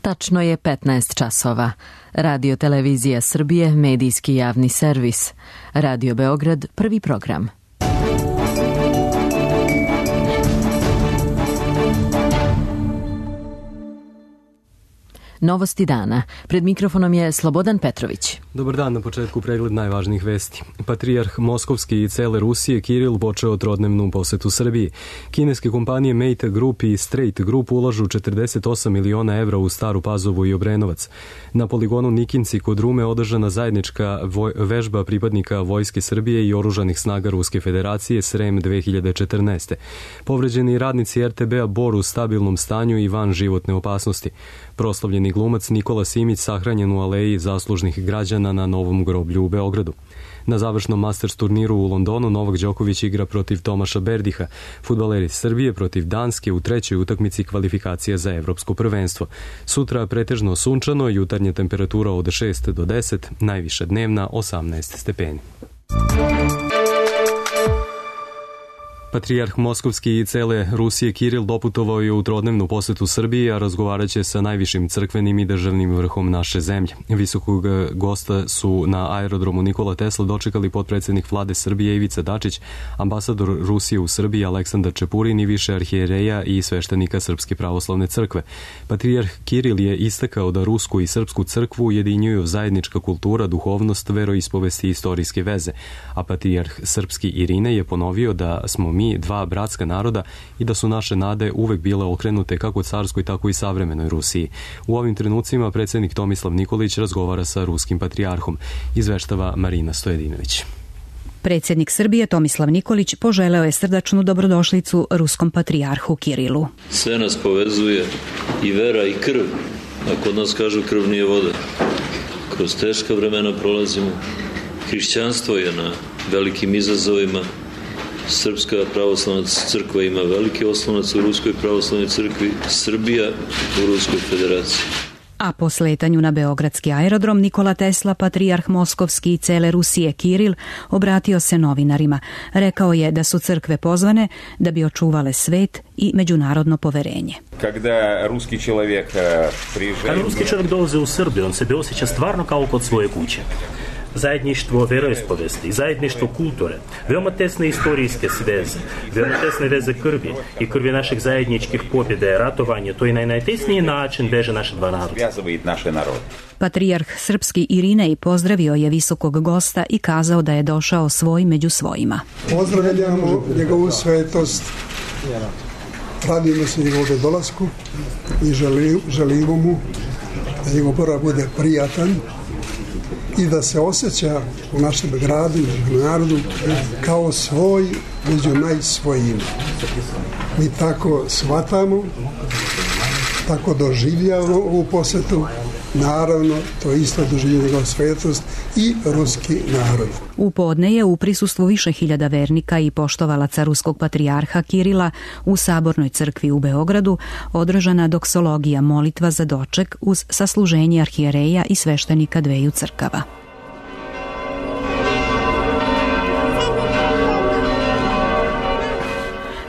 Tačno je 15 časova. Radio Televizija Srbije, medijski javni servis. Radio Beograd, prvi program. Novosti dana. Pred mikrofonom je Slobodan Petrović. Dobar dan, na početku pregled najvažnijih vesti. Patrijarh Moskovski i cele Rusije Kiril počeo trodnevnu posetu Srbiji. Kineske kompanije Mate Group i Straight Group ulažu 48 miliona evra u Staru Pazovu i Obrenovac. Na poligonu Nikinci kod Rume održana zajednička vežba pripadnika Vojske Srbije i oružanih snaga Ruske federacije SREM 2014. Povređeni radnici RTB-a Bor u stabilnom stanju i van životne opasnosti. Proslavljeni glumac Nikola Simić sahranjen u aleji zaslužnih građana na Novom groblju u Beogradu. Na završnom Masters turniru u Londonu Novak Đoković igra protiv Tomaša Berdiha, fudbaleri Srbije protiv Danske u trećoj utakmici kvalifikacija za evropsko prvenstvo. Sutra pretežno sunčano, jutarnja temperatura od 6 do 10, najviša dnevna 18 stepeni. Patrijarh Moskovski i cele Rusije Kiril doputovao je u trodnevnu posetu Srbiji, a razgovarat će sa najvišim crkvenim i državnim vrhom naše zemlje. Visokog gosta su na aerodromu Nikola Tesla dočekali potpredsjednik vlade Srbije Ivica Dačić, ambasador Rusije u Srbiji Aleksandar Čepurin i više arhijereja i sveštenika Srpske pravoslavne crkve. Patrijarh Kiril je istakao da rusku i srpsku crkvu ujedinjuju zajednička kultura, duhovnost, veroispovesti i istorijske veze, a patrijarh srpski Irine je ponovio da smo mi dva bratska naroda i da su naše nade uvek bile okrenute kako carskoj, tako i savremenoj Rusiji. U ovim trenucima predsjednik Tomislav Nikolić razgovara sa ruskim patrijarhom, izveštava Marina Stojedinović. Predsjednik Srbije Tomislav Nikolić poželeo je srdačnu dobrodošlicu ruskom patrijarhu Kirilu. Sve nas povezuje i vera i krv, a kod nas kažu krv nije voda. Kroz teška vremena prolazimo. Hrišćanstvo je na velikim izazovima. Srpska pravoslavna crkva ima veliki oslonac u Ruskoj pravoslavnoj crkvi, Srbija u Ruskoj federaciji. A po sletanju na beogradski aerodrom Nikola Tesla, patrijarh Moskovski i cele Rusije Kiril obratio se novinarima. Rekao je da su crkve pozvane da bi očuvale svet i međunarodno poverenje. Kada ruski čovjek dolazi u Srbiju, on se osjeća stvarno kao kod svoje kuće. Zajedništvo veroispovesti, zajedništvo kulture, veoma tesne istorijske veze, veoma tesne veze krvi i krvi naših zajedničkih pobjede, ratovanje, to je na najtesniji način veže naše dva naroda. Patrijarh srpski Irinej pozdravio je visokog gosta i kazao da je došao svoj među svojima. Pozdravljamo njegovu svetost, radimo se njegovog dolasku i želimo mu da njegov boravak bude prijatan i da se osjeća u našem gradu i narodu kao svoj među najsvojima. Mi tako shvatamo, tako doživljavamo ovu posetu. Naravno, to isto doživljava njegova svetost i ruski narod. U podne je u prisustvu više hiljada vernika i poštovalaca ruskog patrijarha Kirila u Sabornoj crkvi u Beogradu održana doksologija, molitva za doček uz sasluženje arhijereja i sveštenika dveju crkava.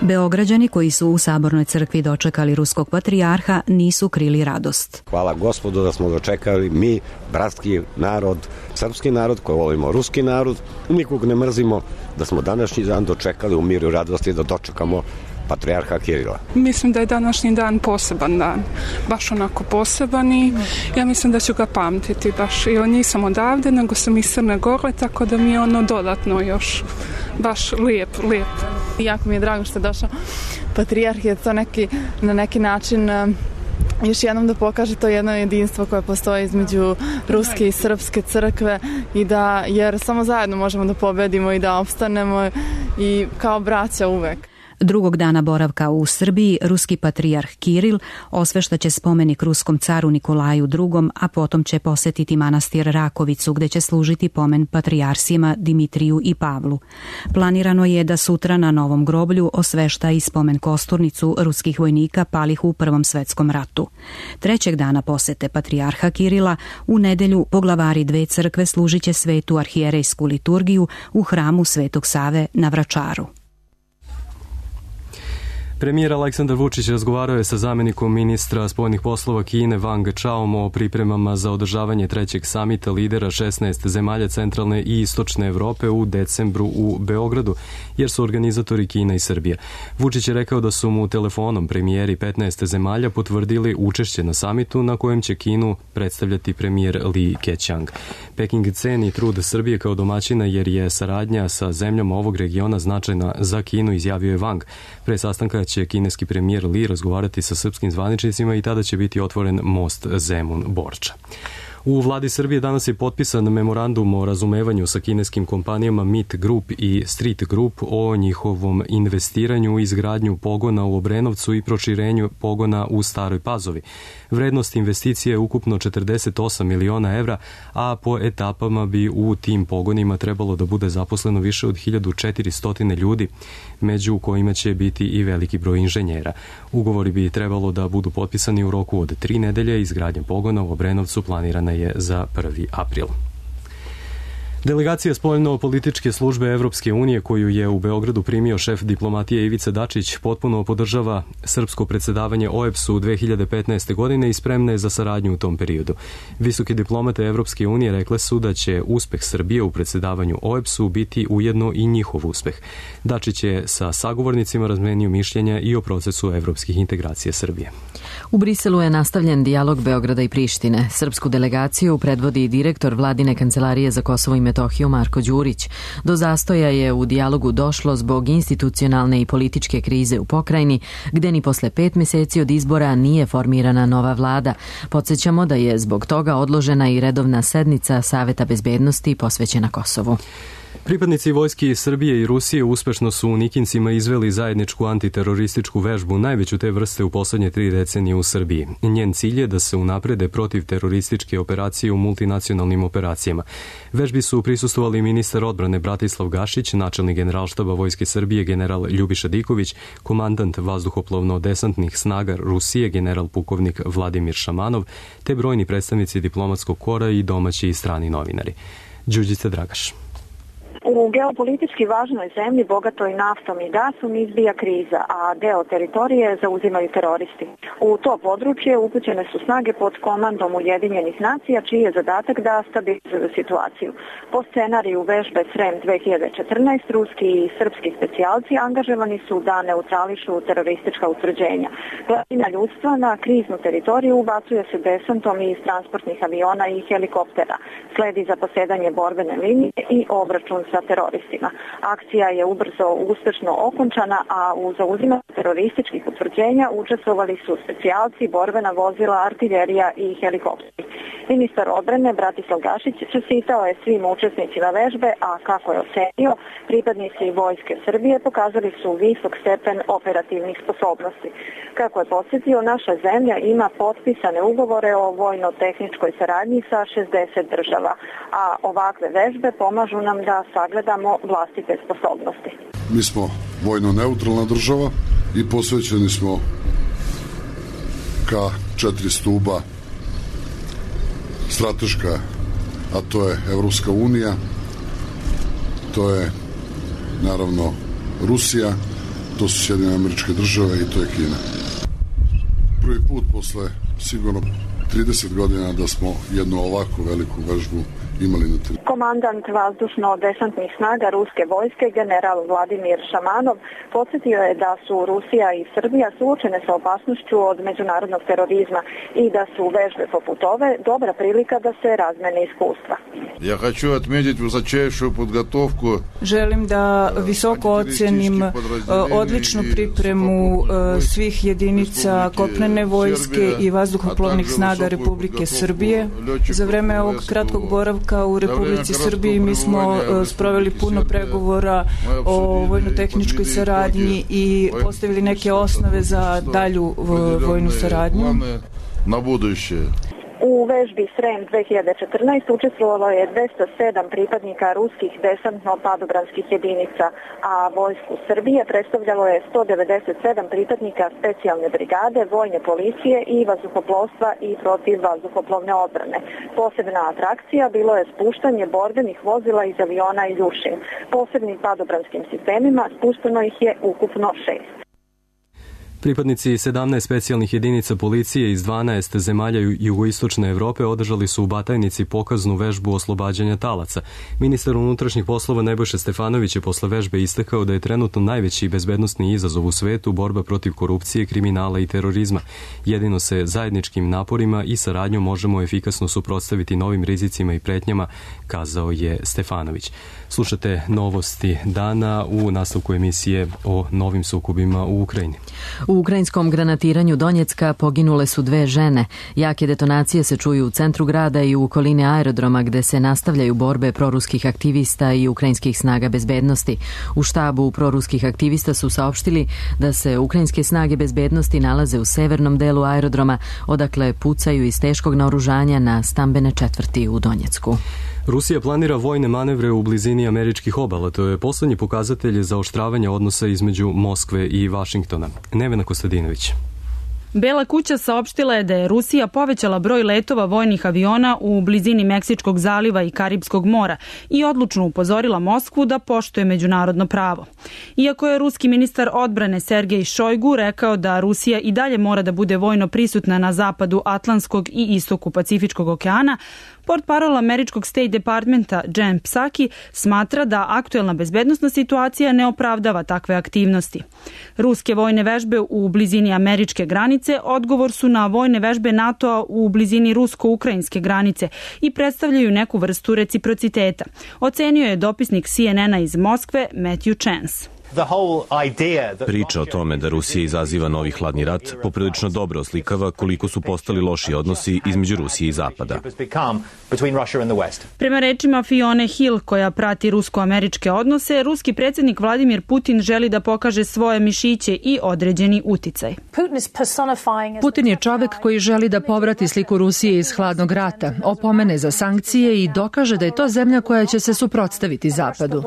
Beograđani koji su u Sabornoj crkvi dočekali ruskog patrijarha nisu krili radost. Hvala Gospodu da smo dočekali mi, bratski narod, srpski narod koji volimo ruski narod, nikog ne mrzimo, da smo današnji dan dočekali u miru i radosti da dočekamo patrijarha Kirila. Mislim da je današnji dan poseban dan, baš onako poseban i ja mislim da ću ga pamtiti baš, jer nisam odavde, nego sam iz Crne Gore, tako da mi je ono dodatno još baš lijep. Jako mi je drago što je došao patrijarh, je to na neki način još jednom da pokaže to jedno jedinstvo koje postoji između ruske i srpske crkve i da, jer samo zajedno možemo da pobedimo i da opstanemo i kao braća uvek. Drugog dana boravka u Srbiji ruski patrijarh Kiril osveštaće spomenik ruskom caru Nikolaju II, a potom će posetiti manastir Rakovicu gde će služiti pomen patrijarsima Dimitriju i Pavlu. Planirano je da sutra na Novom groblju osvešta i spomen kosturnicu ruskih vojnika palih u Prvom svetskom ratu. Trećeg dana posete patrijarha Kirila u nedelju poglavari dve crkve služit će svetu arhijerejsku liturgiju u hramu Svetog Save na Vračaru. Premijer Aleksandar Vučić razgovarao je sa zamjenikom ministra spoljnih poslova Kine Wang Chaom o pripremama za održavanje trećeg samita lidera 16 zemalja centralne i istočne Evrope u decembru u Beogradu, jer su organizatori Kina i Srbija. Vučić je rekao da su mu telefonom premijeri 15 zemalja potvrdili učešće na samitu na kojem će Kinu predstavljati premijer Li Keqiang. Peking ceni trud Srbije kao domaćina jer je saradnja sa zemljama ovog regiona značajna za Kinu, izjavio je Wang. Pre sastanka će kineski premijer Li razgovarati sa srpskim zvaničnicima i tada će biti otvoren most Zemun-Borča. U vladi Srbije danas je potpisan memorandum o razumevanju sa kineskim kompanijama Meet Group i Street Group o njihovom investiranju i izgradnju pogona u Obrenovcu i proširenju pogona u Staroj Pazovi. Vrednost investicije je ukupno 48 miliona evra, a po etapama bi u tim pogonima trebalo da bude zaposleno više od 1400 ljudi, među kojima će biti i veliki broj inženjera. Ugovori bi trebalo da budu potpisani u roku od 3 nedelje. Izgradnja pogona u Obrenovcu planirana je za 1. april. Delegacija spoljno-političke službe Evropske unije, koju je u Beogradu primio šef diplomatije Ivica Dačić, potpuno podržava srpsko predsjedavanje OEBS-u 2015. godine i spremna je za saradnju u tom periodu. Visoke diplomate Evropske unije rekle su da će uspeh Srbije u predsjedavanju OEBS-u biti ujedno i njihov uspeh. Dačić je sa sagovornicima razmenio mišljenja i o procesu evropskih integracija Srbije. U Briselu je nastavljen dijalog Beograda i Prištine. Srpsku delegaciju predvodi direktor vladine kancelarije za Kosovo i Metohiju Marko Đurić. Do zastoja je u dijalogu došlo zbog institucionalne i političke krize u pokrajini, gde ni posle 5 meseci od izbora nije formirana nova vlada. Podsjećamo da je zbog toga odložena i redovna sednica Saveta bezbednosti posvećena Kosovu. Pripadnici vojske Srbije i Rusije uspešno su u Nikincima izveli zajedničku antiterorističku vežbu, najveću te vrste u poslednje 3 decenije u Srbiji. Njen cilj je da se unaprede protiv terorističke operacije u multinacionalnim operacijama. Vežbi su prisustvovali ministar odbrane Bratislav Gašić, načelnik generalštaba Vojske Srbije general Ljubiša Diković, komandant vazduhoplovno-desantnih snaga Rusije general pukovnik Vladimir Šamanov, te brojni predstavnici diplomatskog kora i domaći i strani novinari. Đurđica Dragaš. U geopolitički važnoj zemlji, bogatoj naftom i gasom, izbija kriza, a deo teritorije zauzimaju teroristi. U to područje upućene su snage pod komandom Ujedinjenih nacija, čiji je zadatak da stabilizuju situaciju. Po scenariju vežbe SREM 2014, ruski i srpski specijalci angažovani su da neutrališu teroristička utvrđenja. Glavnina ljudstva na kriznu teritoriju ubacuje se desantom iz transportnih aviona i helikoptera. Sledi zaposedanje borbene linije i obračun sa teroristima. Akcija je ubrzo uspešno okončana, a u zauzimanju terorističkih utvrđenja učestvovali su specijalci, borbena vozila, artiljerija i helikopteri. Ministar odbrane Bratislav Gašić čestitao je svim učesnicima vežbe, a kako je ocenio, pripadnici Vojske Srbije pokazali su visok stepen operativnih sposobnosti. Kako je podsjetio, naša zemlja ima potpisane ugovore o vojno-tehničkoj saradnji sa 60 država, a ovakve vežbe pomažu nam da sagledamo vlastite sposobnosti. Mi smo vojno-neutralna država i posvećeni smo ka 4 stuba strateška, a to je Evropska unija, to je naravno Rusija, to su Sjedinjene Američke Države i to je Kina. Prvi put posle sigurno 30 godina da smo jednu ovakvu veliku vežbu imali na teritoriju. Komandant vazdušno-desantnih snaga ruske vojske general Vladimir Šamanov podsjetio je da su Rusija i Srbija suočene sa opasnošću od međunarodnog terorizma i da su vežbe poput ove dobra prilika da se razmene iskustva. Ja hoću odmetiti высочайшую подготовку. Želim da visoko ocenim odličnu pripremu svih jedinica kopnene vojske i vazduhoplovnih snaga Republike Srbije. Za vreme ovog kratkog boravka u Republici Srbiji mi smo sproveli puno pregovora o vojno-tehničkoj saradnji i postavili neke osnove za dalju vojnu saradnju. Na buduće. U vežbi SREM 2014 učestvovalo je 207 pripadnika ruskih desantno-padobranskih jedinica, a vojsku Srbije predstavljalo je 197 pripadnika specijalne brigade, vojne policije i vazduhoplovstva i protivvazduhoplovne odbrane. Posebna atrakcija bilo je spuštanje borbenih vozila iz aviona Iljušin. Posebnim padobranskim sistemima spušteno ih je ukupno 6. Pripadnici 17 specijalnih jedinica policije iz 12 zemalja jugoistočne Evrope održali su u Batajnici pokaznu vežbu oslobađanja talaca. Ministar unutrašnjih poslova Nebojša Stefanović je posle vežbe istakao da je trenutno najveći bezbednosni izazov u svetu borba protiv korupcije, kriminala i terorizma. Jedino se zajedničkim naporima i saradnjom možemo efikasno suprotstaviti novim rizicima i pretnjama, kazao je Stefanović. Slušate novosti dana u nastavku emisije o novim sukobima u Ukrajini. U ukrajinskom granatiranju Donjecka poginule su 2 žene. Jake detonacije se čuju u centru grada i u okolini aerodroma gde se nastavljaju borbe proruskih aktivista i ukrajinskih snaga bezbednosti. U štabu proruskih aktivista su saopštili da se ukrajinske snage bezbednosti nalaze u severnom delu aerodroma, odakle pucaju iz teškog naoružanja na stambene četvrti u Donjecku. Rusija planira vojne manevre u blizini američkih obala. To je poslednji pokazatelj zaoštravanja odnosa između Moskve i Vašingtona. Nevena Kostadinović. Bela kuća saopštila je da je Rusija povećala broj letova vojnih aviona u blizini Meksičkog zaliva i Karibskog mora i odlučno upozorila Moskvu da poštuje međunarodno pravo. Iako je ruski ministar odbrane Sergej Šojgu rekao da Rusija i dalje mora da bude vojno prisutna na zapadu Atlantskog i istoku Pacifičkog okeana, portparol američkog State Departmenta Jen Psaki smatra da aktuelna bezbednosna situacija ne opravdava takve aktivnosti. Ruske vojne vežbe u blizini američke granice odgovor su na vojne vežbe NATO-a u blizini rusko-ukrajinske granice i predstavljaju neku vrstu reciprociteta, ocenio je dopisnik CNN-a iz Moskve Matthew Chance. Priča o tome da Rusija izaziva novi hladni rat poprilično dobro oslikava koliko su postali loši odnosi između Rusije i Zapada. Prema rečima Fione Hill, koja prati rusko-američke odnose, ruski predsjednik Vladimir Putin želi da pokaže svoje mišiće i određeni uticaj. Putin je čovek koji želi da povrati sliku Rusije iz hladnog rata, opomene za sankcije i dokaže da je to zemlja koja će se suprotstaviti Zapadu.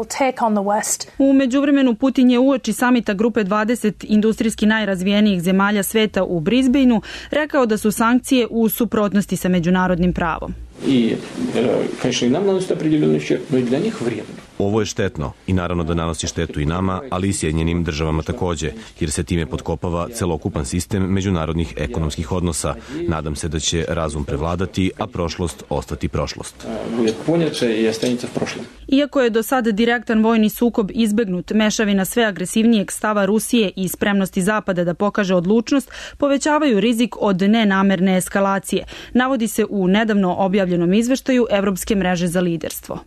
U međuvremenu Putin je uoči samita grupe 20 industrijski najrazvijenijih zemalja sveta u Brisbaneu rekao da su sankcije u suprotnosti sa međunarodnim pravom. Ovo je štetno i naravno da nanosi štetu i nama, ali i Sjedinjenim državama takođe, jer se time potkopava celokupan sistem međunarodnih ekonomskih odnosa. Nadam se da će razum prevladati, a prošlost ostati prošlost. Iako je do sada direktan vojni sukob izbegnut, mešavina sve agresivnijeg stava Rusije i spremnosti Zapada da pokaže odlučnost povećavaju rizik od nenamerne eskalacije, navodi se u nedavno objavljenom izveštaju Evropske mreže za liderstvo.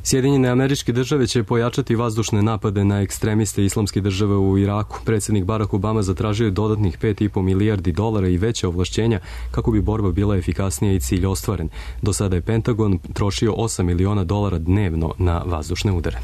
Sjedinjene Američke Države će pojačati vazdušne napade na ekstremiste islamske države u Iraku. Predsjednik Barack Obama zatražio je dodatnih $5,5 milijardi i veće ovlašćenja kako bi borba bila efikasnija i cilj ostvaren. Do sada je Pentagon trošio $8 miliona dnevno na vazdušne udare.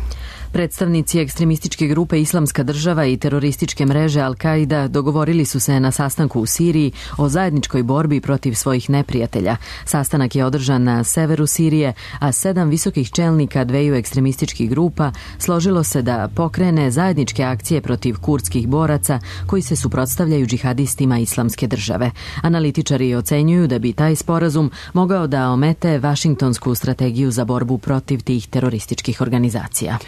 Predstavnici ekstremističke grupe Islamska država i terorističke mreže Al-Qaida dogovorili su se na sastanku u Siriji o zajedničkoj borbi protiv svojih neprijatelja. Sastanak je održan na severu Sirije, a 7 visokih čelnika dveju ekstremističkih grupa složilo se da pokrene zajedničke akcije protiv kurdskih boraca koji se suprotstavljaju džihadistima Islamske države. Analitičari ocenjuju da bi taj sporazum mogao da omete Vašingtonsku strategiju za borbu protiv tih terorističkih organizacija.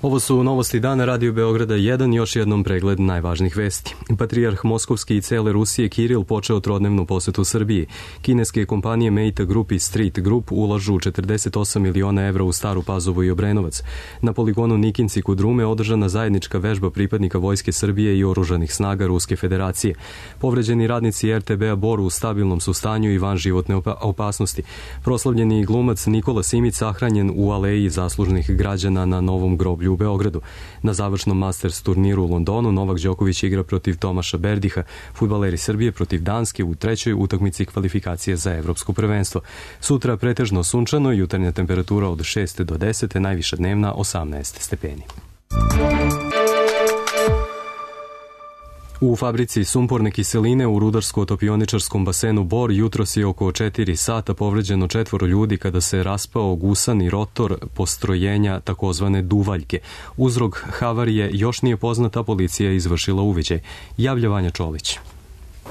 Ovo su novosti dana Radio Beograda 1, još jednom pregled najvažnijih vesti. Patrijarh Moskovski i cele Rusije Kiril počeo trodnevnu posetu Srbiji. Kineske kompanije Meta Group i Straight Group ulažu 48 miliona evra u Staru Pazovu i Obrenovac. Na poligonu Nikinci kod Rume održana zajednička vežba pripadnika Vojske Srbije i oružanih snaga Ruske federacije. Povređeni radnici RTB-a Bor u stabilnom su stanju i van životne opasnosti. Proslavljeni glumac Nikola Simić sahranjen u aleji zaslužnih građana na Novom groblju u Beogradu. Na završnom Masters turniru u Londonu Novak Đoković igra protiv Tomaša Berdiha, fudbaleri Srbije protiv Danske u trećoj utakmici kvalifikacije za evropsko prvenstvo. Sutra pretežno sunčano, jutarnja temperatura od 6 do 10, najviša dnevna 18 stepeni. U fabrici sumporne kiseline u rudarsko-topioničarskom basenu Bor jutros je oko 4 sata povređeno 4 ljudi kada se raspao gusani rotor postrojenja takozvane duvaljke. Uzrok havarije još nije poznata, policija je izvršila uviđaj. Javlja Vanja Čolić.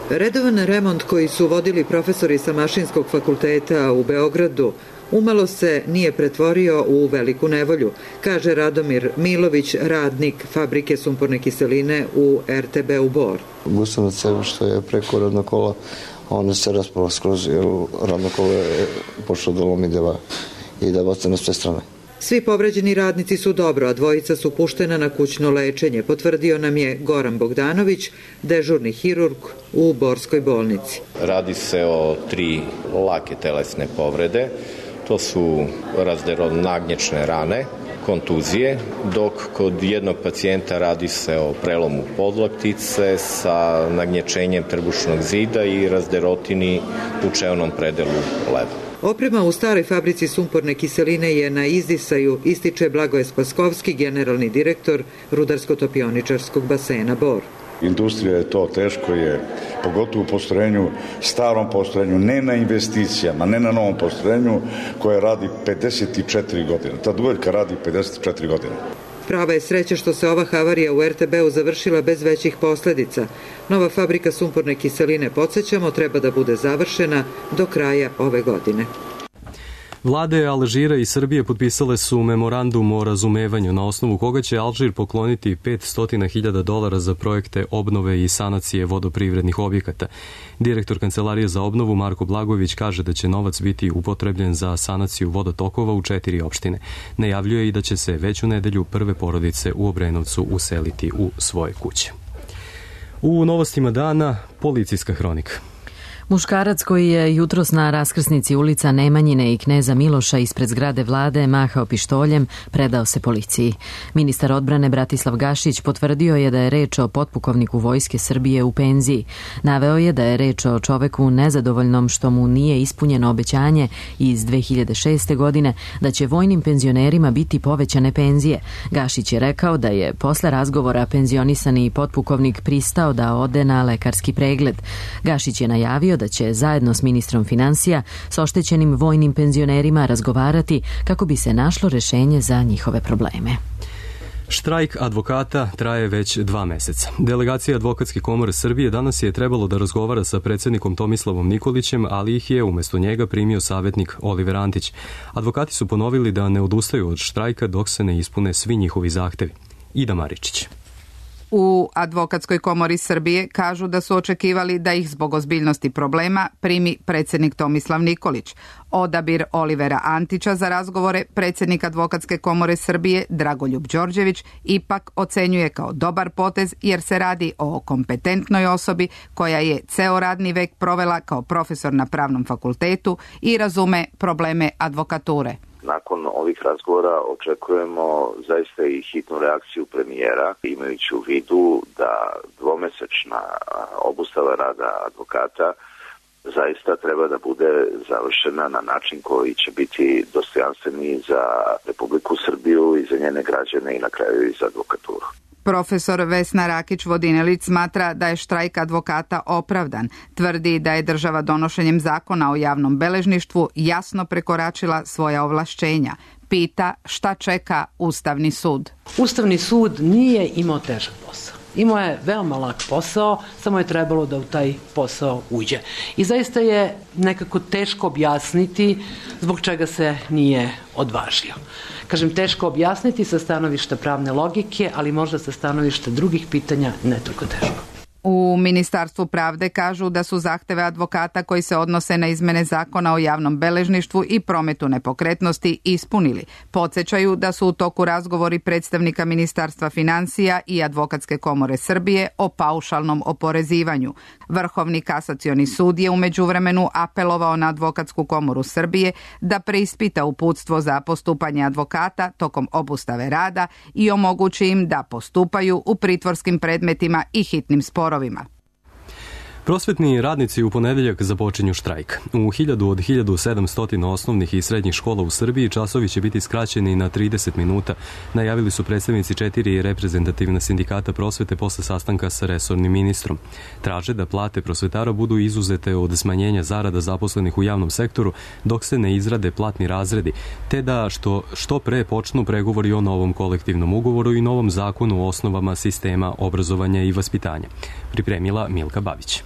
Redovan remont koji su vodili profesori sa Mašinskog fakulteta u Beogradu umalo se nije pretvorio u veliku nevolju, kaže Radomir Milović, radnik fabrike sumporne kiseline u RTB-u Bor. Gusam od sebe što je preko radno kola, ono se raspalo skroz, jer radno kolo je počelo da lomi i da baca na sve strane. Svi povređeni radnici su dobro, a dvojica su puštena na kućno lečenje, potvrdio nam je Goran Bogdanović, dežurni hirurg u Borskoj bolnici. Radi se o 3 lake telesne povrede, to su razderonagnječne rane, kontuzije, dok kod jednog pacijenta radi se o prelomu podlaktice sa nagnječenjem trbušnog zida i razderotini u čevnom predelu leva. Oprema u staroj fabrici sumporne kiseline je na izdisaju, ističe Blagoje Spaskovski, generalni direktor Rudarsko-topioničarskog basena Bor. Industrija je to, teško je, pogotovo u postrojenju, starom postrojenju, ne na investicijama, ne na novom postrojenju koje radi 54 godine. Ta duvaljka radi 54 godine. Prava je sreća što se ova havarija u RTB-u završila bez većih posledica. Nova fabrika sumporne kiseline, podsjećamo, treba da bude završena do kraja ove godine. Vlade Alžira i Srbije potpisale su memorandum o razumevanju na osnovu koga će Alžir pokloniti $500.000 za projekte obnove i sanacije vodoprivrednih objekata. Direktor Kancelarije za obnovu Marko Blagojević kaže da će novac biti upotrebljen za sanaciju vodotokova u 4 opštine. Najavljuje i da će se već u nedelju prve porodice u Obrenovcu useliti u svoje kuće. U novostima dana policijska hronika. Muškarac koji je jutros na raskrsnici ulica Nemanjine i Kneza Miloša ispred zgrade vlade mahao pištoljem, predao se policiji. Ministar odbrane Bratislav Gašić potvrdio je da je reč o potpukovniku Vojske Srbije u penziji. Naveo je da je reč o čoveku nezadovoljnom što mu nije ispunjeno obećanje iz 2006. godine da će vojnim penzionerima biti povećane penzije. Gašić je rekao da je posle razgovora penzionisani potpukovnik pristao da ode na lekarski pregled. Gašić je najavio da će zajedno s ministrom finansija s oštećenim vojnim penzionerima razgovarati kako bi se našlo rešenje za njihove probleme. Štrajk advokata traje već 2 meseca. Delegacija Advokatske komore Srbije danas je trebalo da razgovara sa predsjednikom Tomislavom Nikolićem, ali ih je umjesto njega primio savjetnik Oliver Antić. Advokati su ponovili da ne odustaju od štrajka dok se ne ispune svi njihovi zahtevi. Ida Maričić. U Advokatskoj komori Srbije kažu da su očekivali da ih zbog ozbiljnosti problema primi predsjednik Tomislav Nikolić. Odabir Olivera Antića za razgovore predsjednik Advokatske komore Srbije Dragoljub Đorđević ipak ocenjuje kao dobar potez jer se radi o kompetentnoj osobi koja je ceo radni vek provela kao profesor na pravnom fakultetu i razume probleme advokature. Nakon ovih razgovora očekujemo zaista i hitnu reakciju premijera, imajući u vidu da dvomesečna obustava rada advokata zaista treba da bude završena na način koji će biti dostojanstveni za Republiku Srbiju i za njene građane i na kraju i za advokaturu. Profesor Vesna Rakić-Vodinelić smatra da je štrajk advokata opravdan. Tvrdi da je država donošenjem zakona o javnom beležništvu jasno prekoračila svoja ovlašćenja. Pita šta čeka Ustavni sud. Ustavni sud nije imao težak posao. Imao je veoma lak posao, samo je trebalo da u taj posao uđe. I zaista je nekako teško objasniti zbog čega se nije odvažio. Kažem, teško objasniti sa stanovišta pravne logike, ali možda sa stanovišta drugih pitanja ne toliko teško. U Ministarstvu pravde kažu da su zahteve advokata koji se odnose na izmene zakona o javnom beležništvu i prometu nepokretnosti ispunili. Podsjećaju da su u toku razgovori predstavnika Ministarstva finansija i Advokatske komore Srbije o paušalnom oporezivanju. Vrhovni kasacioni sud je u međuvremenu apelovao na Advokatsku komoru Srbije da preispita uputstvo za postupanje advokata tokom obustave rada i omogući im da postupaju u pritvorskim predmetima i hitnim sporovima. Prosvetni radnici u ponedeljak započinju štrajk. U 1000 od 1700 osnovnih i srednjih škola u Srbiji časovi će biti skraćeni na 30 minuta, najavili su predstavnici 4 reprezentativna sindikata prosvete posle sastanka sa resornim ministrom. Traže da plate prosvetara budu izuzete od smanjenja zarada zaposlenih u javnom sektoru dok se ne izrade platni razredi, te da što pre počnu pregovori o novom kolektivnom ugovoru i novom zakonu o osnovama sistema obrazovanja i vaspitanja. Pripremila Milka Babić.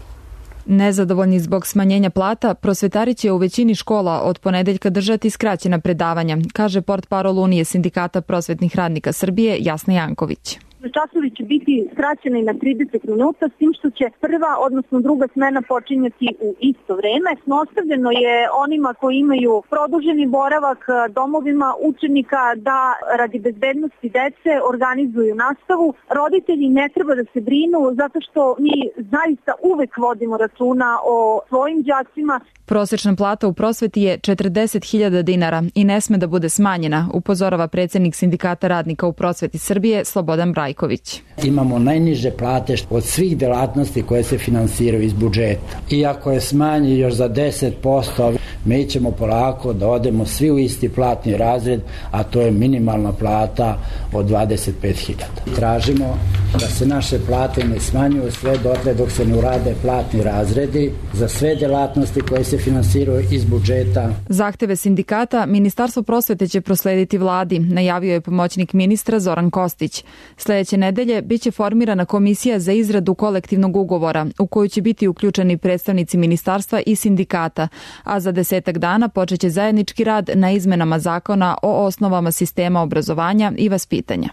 Nezadovoljni zbog smanjenja plata, prosvetari će u većini škola od ponedeljka držati skraćena predavanja, kaže portparol Unije sindikata prosvetnih radnika Srbije Jasna Janković. Časovi će biti skraćeni na 30 minuta, s tim što će prva, odnosno druga smena počinjati u isto vreme. Ostavljeno je onima koji imaju produženi boravak domovima učenika da radi bezbednosti dece organizuju nastavu. Roditelji ne treba da se brinu zato što mi zaista uvek vodimo računa o svojim đacima. Prosečna plata u prosveti je 40.000 dinara i ne sme da bude smanjena, upozorava predsjednik sindikata radnika u prosveti Srbije Slobodan Brajković. Imamo najniže plate od svih delatnosti koje se finansiraju iz budžeta. Iako je smanji još za 10%, mi ćemo polako da odemo svi u isti platni razred, a to je minimalna plata od 25.000. Tražimo da se naše plate ne smanjuju sve dotle dok se ne urade platni razredi za sve delatnosti koje se finansiraju iz budžeta. Zahteve sindikata Ministarstvo prosvete će proslediti vladi, najavio je pomoćnik ministra Zoran Kostić. Sljedeće nedelje biće formirana komisija za izradu kolektivnog ugovora u koju će biti uključeni predstavnici ministarstva i sindikata, a za 10 dana počeće zajednički rad na izmenama zakona o osnovama sistema obrazovanja i vaspitanja.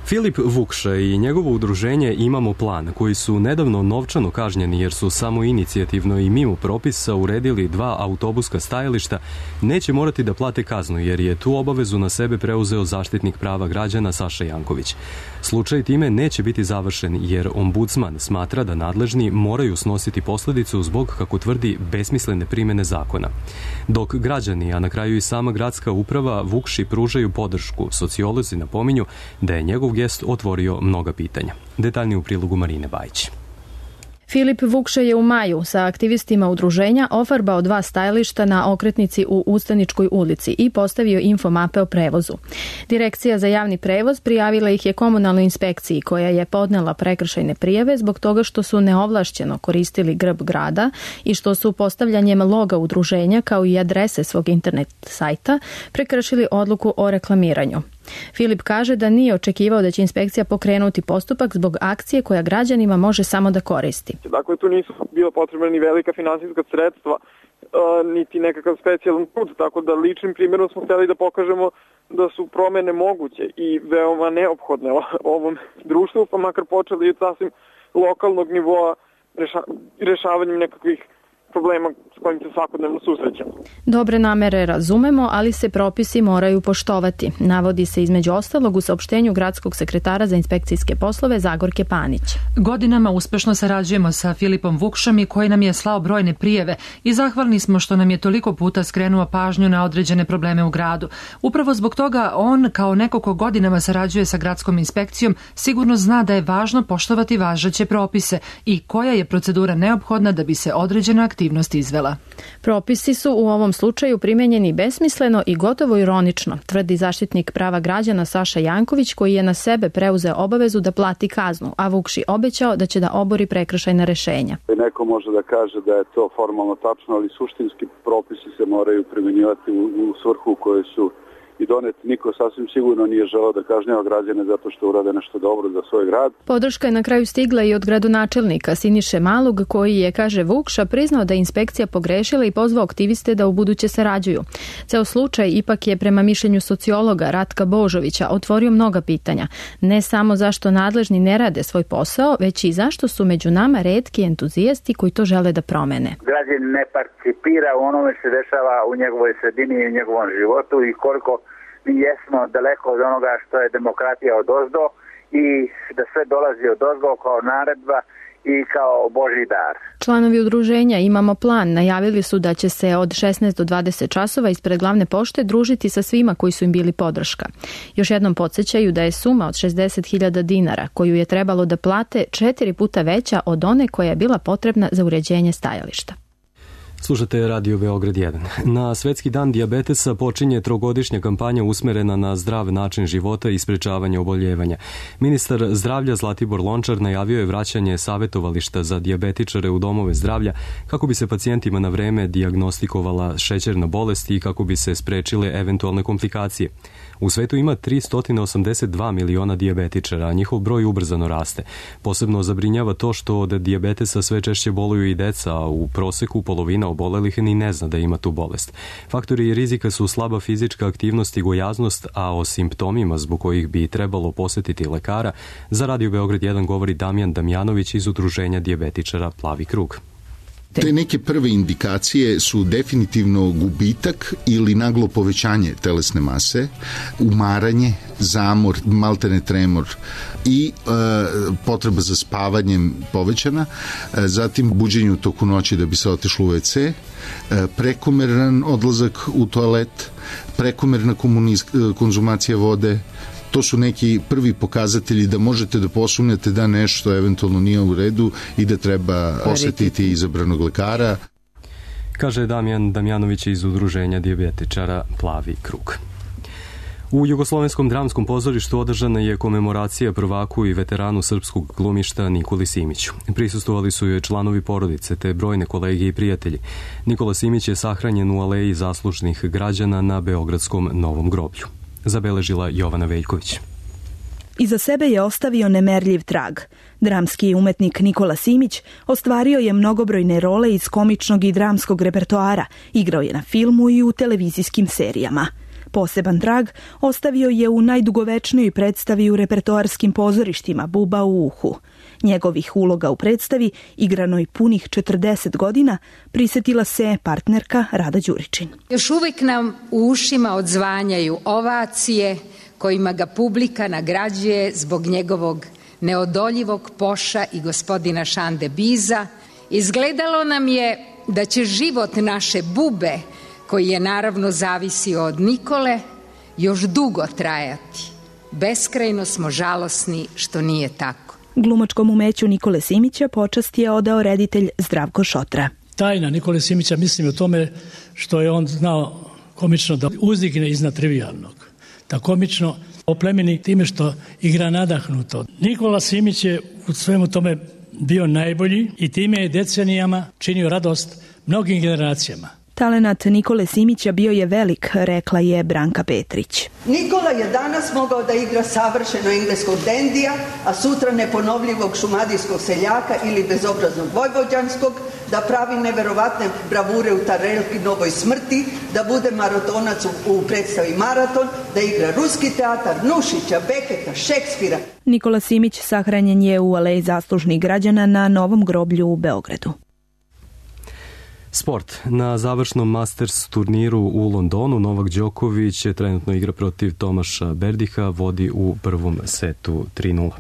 Filip Vukša i njegovo udruženje Imamo plan, koji su nedavno novčano kažnjeni jer su samo inicijativno i mimo propisa uredili 2 autobuska stajališta, neće morati da plate kaznu jer je tu obavezu na sebe preuzeo zaštitnik prava građana Saša Janković. Slučaj time neće biti završen jer ombudsman smatra da nadležni moraju snositi posljedicu zbog, kako tvrdi, besmislene primjene zakona. Dok građani, a na kraju i sama gradska uprava Vukši pružaju podršku, sociolozi napominju da je njegov gest otvorio mnoga pitanja. Detaljnije u prilogu Marine Bajić. Filip Vukša je u maju sa aktivistima udruženja ofarbao 2 stajališta na okretnici u Ustaničkoj ulici i postavio infomape o prevozu. Direkcija za javni prevoz prijavila ih je komunalnoj inspekciji koja je podnela prekršajne prijave zbog toga što su neovlašćeno koristili grb grada i što su postavljanjem loga udruženja kao i adrese svog internet sajta prekršili odluku o reklamiranju. Filip kaže da nije očekivao da će inspekcija pokrenuti postupak zbog akcije koja građanima može samo da koristi. Dakle, tu nisu bila potrebna ni velika finansijska sredstva, niti nekakav specijalan put, tako da ličnim primjerom smo htjeli da pokažemo da su promjene moguće i veoma neophodne ovom društvu, pa makar počeli od sasvim lokalnog nivoa rešavanjem nekakvih problema s kojim se svakodnevno susrećemo. Dobre namere razumemo, ali se propisi moraju poštovati, navodi se između ostalog u saopštenju gradskog sekretara za inspekcijske poslove Zagorke Panić. Godinama uspešno sarađujemo sa Filipom Vukšom i koji nam je slao brojne prijeve i zahvalni smo što nam je toliko puta skrenuo pažnju na određene probleme u gradu. Upravo zbog toga on, kao neko ko godinama sarađuje sa gradskom inspekcijom, sigurno zna da je važno poštovati važeće propise i koja je procedura neophodna da bi se određena aktivnost izvela. Propisi su u ovom slučaju primenjeni besmisleno i gotovo ironično, tvrdi zaštitnik prava građana Saša Janković, koji je na sebe preuzeo obavezu da plati kaznu, a Vukši obećao da će da obori prekršajna rešenja. Neko može da kaže da je to formalno tačno, ali suštinski propisi se moraju primenjivati u svrhu u kojoj su i doneti. Niko sasvim sigurno nije želeo da kažnjava građane zato što urade nešto dobro za svoj grad. Podrška je na kraju stigla i od gradonačelnika Siniše Malog, koji je, kaže Vukša, priznao da je inspekcija pogrešila i pozvao aktiviste da ubuduće sarađuju. Ceo slučaj ipak je, prema mišljenju sociologa Ratka Božovića, otvorio mnoga pitanja. Ne samo zašto nadležni ne rade svoj posao, već i zašto su među nama retki entuzijasti koji to žele da promene. Građanin ne participira u onome što se dešava u njegovoj sredini i u njegovom životu i koliko mi jesmo daleko od onoga što je demokratija odozdo i da sve dolazi odozgo kao naredba i kao Božji dar. Članovi udruženja Imamo plan najavili su da će se od 16 do 20 časova ispred glavne pošte družiti sa svima koji su im bili podrška. Još jednom podsjećaju da je suma od 60.000 dinara koju je trebalo da plate 4 puta veća od one koja je bila potrebna za uređenje stajališta. Slušate Radio Beograd 1. Na Svetski dan dijabetesa počinje 3-godišnja kampanja usmerena na zdrav način života i sprečavanje oboljevanja. Ministar zdravlja Zlatibor Lončar najavio je vraćanje savetovališta za dijabetičare u domove zdravlja kako bi se pacijentima na vreme dijagnostikovala šećerna bolest i kako bi se sprečile eventualne komplikacije. U svetu ima 382 miliona dijabetičara, a njihov broj ubrzano raste. Posebno zabrinjava to što od dijabetesa sve češće boluju i deca, a u proseku polovina obolelih ni ne zna da ima tu bolest. Faktori rizika su slaba fizička aktivnost i gojaznost, a o simptomima zbog kojih bi trebalo posetiti lekara, za Radio Beograd 1 govori Damjan Damjanović iz Udruženja dijabetičara Plavi krug. Te neke prve indikacije su definitivno gubitak ili naglo povećanje telesne mase, umaranje, zamor, maltene tremor i potreba za spavanjem povećana, zatim buđenje u toku noći da bi se otišlo u WC, prekomeran odlazak u toalet, prekomerna konzumacija vode. To su neki prvi pokazatelji da možete da posumnjate da nešto eventualno nije u redu i da treba posetiti izabranog lekara. Kaže Damjan Damjanović iz Udruženja dijabetičara Plavi krug. U Jugoslovenskom dramskom pozorištu održana je komemoracija prvaku i veteranu srpskog glumišta Nikoli Simiću. Prisustvovali su joj članovi porodice te brojne kolege i prijatelji. Nikola Simić je sahranjen u aleji zaslužnih građana na Beogradskom Novom groblju. Zabeležila Jovana Veljković. Iza sebe je ostavio nemerljiv trag. Dramski umetnik Nikola Simić ostvario je mnogobrojne role iz komičnog i dramskog repertoara, igrao je na filmu i u televizijskim serijama. Poseban trag ostavio je u najdugovečnijoj predstavi u repertoarskim pozorištima Buba u uhu. Njegovih uloga u predstavi, igranoj punih 40 godina, prisetila se partnerka Rada Đuričin. Još uvijek nam u ušima odzvanjaju ovacije kojima ga publika nagrađuje zbog njegovog neodoljivog poša i gospodina Šande Biza. Izgledalo nam je da će život naše Bube, koji je naravno zavisio od Nikole, još dugo trajati. Beskrajno smo žalosni što nije tako. Glumačkom umeću Nikole Simića počast je odao reditelj Zdravko Šotra. Tajna Nikole Simića mislim o tome što je on znao komično da uzdigne iznad trivijalnog. Da komično oplemeni time što igra nadahnuto. Nikola Simić je u svemu tome bio najbolji i time je decenijama činio radost mnogim generacijama. Talenat Nikole Simića bio je velik, rekla je Branka Petrić. Nikola je danas mogao da igra savršeno engleskog dendija, a sutra neponovljivog šumadijskog seljaka ili bezobraznog vojvođanskog, da pravi neverovatne bravure u Tarelki Novoj smrti, da bude maratonac u predstavi Maraton, da igra ruski teatar, Nušića, Beketa, Šekspira. Nikola Simić sahranjen je u aleji zaslužnih građana na Novom groblju u Beogradu. Sport. Na završnom Masters turniru u Londonu Novak Đoković trenutno igra protiv Tomaša Berdiha, vodi u prvom setu 3-0.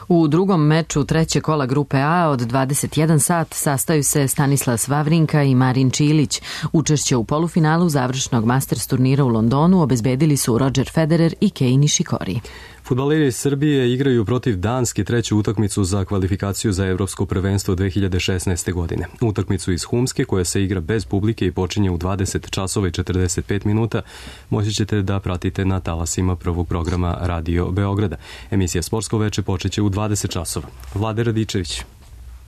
U drugom meču treće kola grupe A od 21 sat sastaju se Stanislas Wawrinka i Marin Čilić. Učešće u polufinalu završnog Masters turnira u Londonu obezbedili su Roger Federer i Kei Nishikori. Fudbaleri Srbije igraju protiv Danske treću utakmicu za kvalifikaciju za Evropsko prvenstvo 2016. godine. Utakmicu iz Humske, koja se igra bez publike i počinje u 20 časova i 45 minuta, moći ćete da pratite na talasima prvog programa Radio Beograda. Emisija Sportsko veče počeće u 20 časova. Vlade Radičević.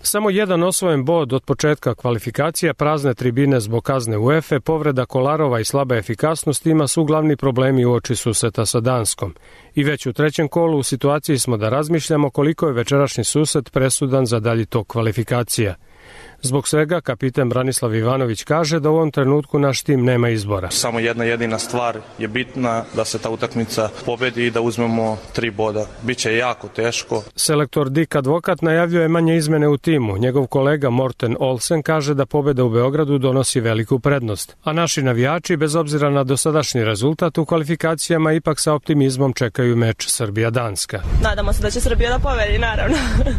Samo jedan osvojen bod od početka kvalifikacija, prazne tribine zbog kazne UEFA, povreda Kolarova i slaba efikasnost ima su glavni problemi uoči susreta sa Danskom. I već u trećem kolu u situaciji smo da razmišljamo koliko je večerašnji susret presudan za dalji tok kvalifikacija. Zbog svega, kapiten Branislav Ivanović kaže da u ovom trenutku naš tim nema izbora. Samo jedna jedina stvar je bitna, da se ta utakmica pobedi i da uzmemo 3 boda. Biće jako teško. Selektor Dick Advokat najavljuje manje izmene u timu. Njegov kolega Morten Olsen kaže da pobeda u Beogradu donosi veliku prednost. A naši navijači, bez obzira na dosadašnji rezultat u kvalifikacijama, ipak sa optimizmom čekaju meč Srbija-Danska. Nadamo se da će Srbija da pobedi, naravno.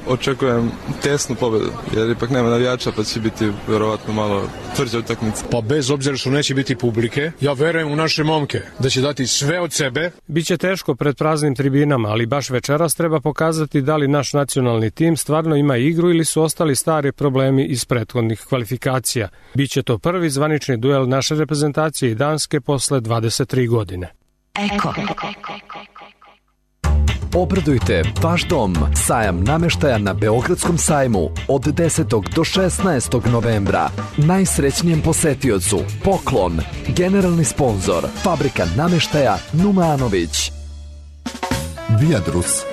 Očekujem tesnu pobedu, jer ipak nema navijača, pa će biti verovatno malo tvrđa utakmica. Pa bez obzira što neće biti publike, ja verujem u naše momke da će dati sve od sebe. Biće teško pred praznim tribinama, ali baš večeras treba pokazati da li naš nacionalni tim stvarno ima igru ili su ostali stari problemi iz prethodnih kvalifikacija. Biće to prvi zvanični duel naše reprezentacije i Danske posle 23 godine. Eko. Obradujte vaš dom. Sajam nameštaja na Beogradskom sajmu od 10. do 16. novembra. Najsrećnijem posetiocu poklon Generalni sponzor, fabrika namještaja Numanović. Viadrus.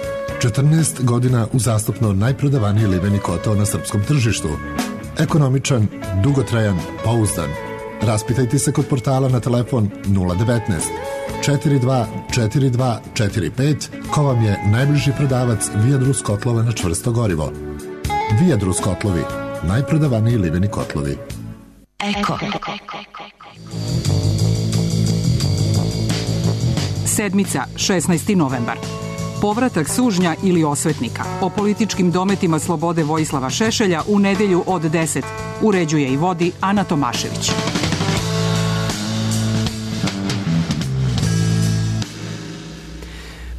14 godina uzastopno najprodavaniji liveni kotao na srpskom tržištu. Ekonomičan, dugotrajan, pouzdan. Raspitajte se kod portala na telefon 019 42 42 45 ko vam je najbliži prodavac Viadrus kotlova na čvrsto gorivo. Viadrus kotlovi, najprodavaniji liveni kotlovi. Eko. Sedmica, 16. novembar. Povratak sužnja ili osvetnika. O političkim dometima slobode Vojislava Šešelja u nedelju od 10. Uređuje i vodi Ana Tomašević.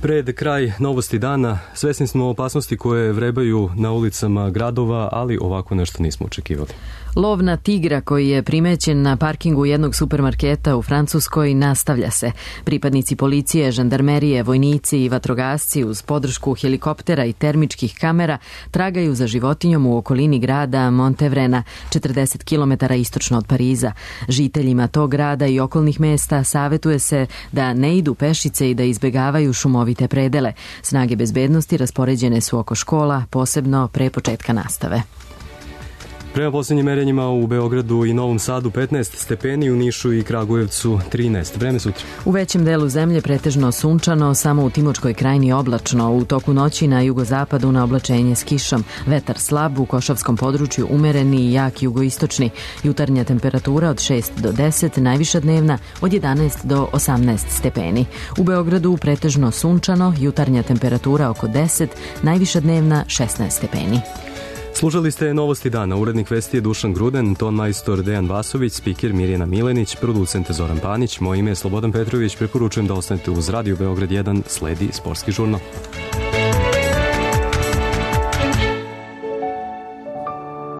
Pred kraj novosti dana svesni smo opasnosti koje vrebaju na ulicama gradova, ali ovako nešto nismo očekivali. Lov na tigra koji je primećen na parkingu jednog supermarketa u Francuskoj nastavlja se. Pripadnici policije, žandarmerije, vojnici i vatrogasci uz podršku helikoptera i termičkih kamera tragaju za životinjom u okolini grada Montevrena, 40 km istočno od Pariza. Žiteljima tog grada i okolnih mesta savetuje se da ne idu pešice i da izbegavaju šumovite predele. Snage bezbednosti raspoređene su oko škola, posebno pre početka nastave. Prema posljednjim merenjima u Beogradu i Novom Sadu 15 stepeni, u Nišu i Kragujevcu 13. Vreme sutra. U većem delu zemlje pretežno sunčano, samo u Timočkoj krajini oblačno. U toku noći na jugozapadu na oblačenje s kišom. Vetar slab, u Košavskom području umereni i jak jugoistočni. Jutarnja temperatura od 6 do 10, najviša dnevna od 11 do 18 stepeni. U Beogradu pretežno sunčano, jutarnja temperatura oko 10, najviša dnevna 16 stepeni. Slušali ste Novosti dana. Urednik vesti je Dušan Gruden, ton majstor Dejan Vasović, spiker Mirjana Milenić, producent Zoran Panić. Moje ime je Slobodan Petrović. Preporučujem da ostanete uz Radio Beograd 1, sledi sportski žurnal.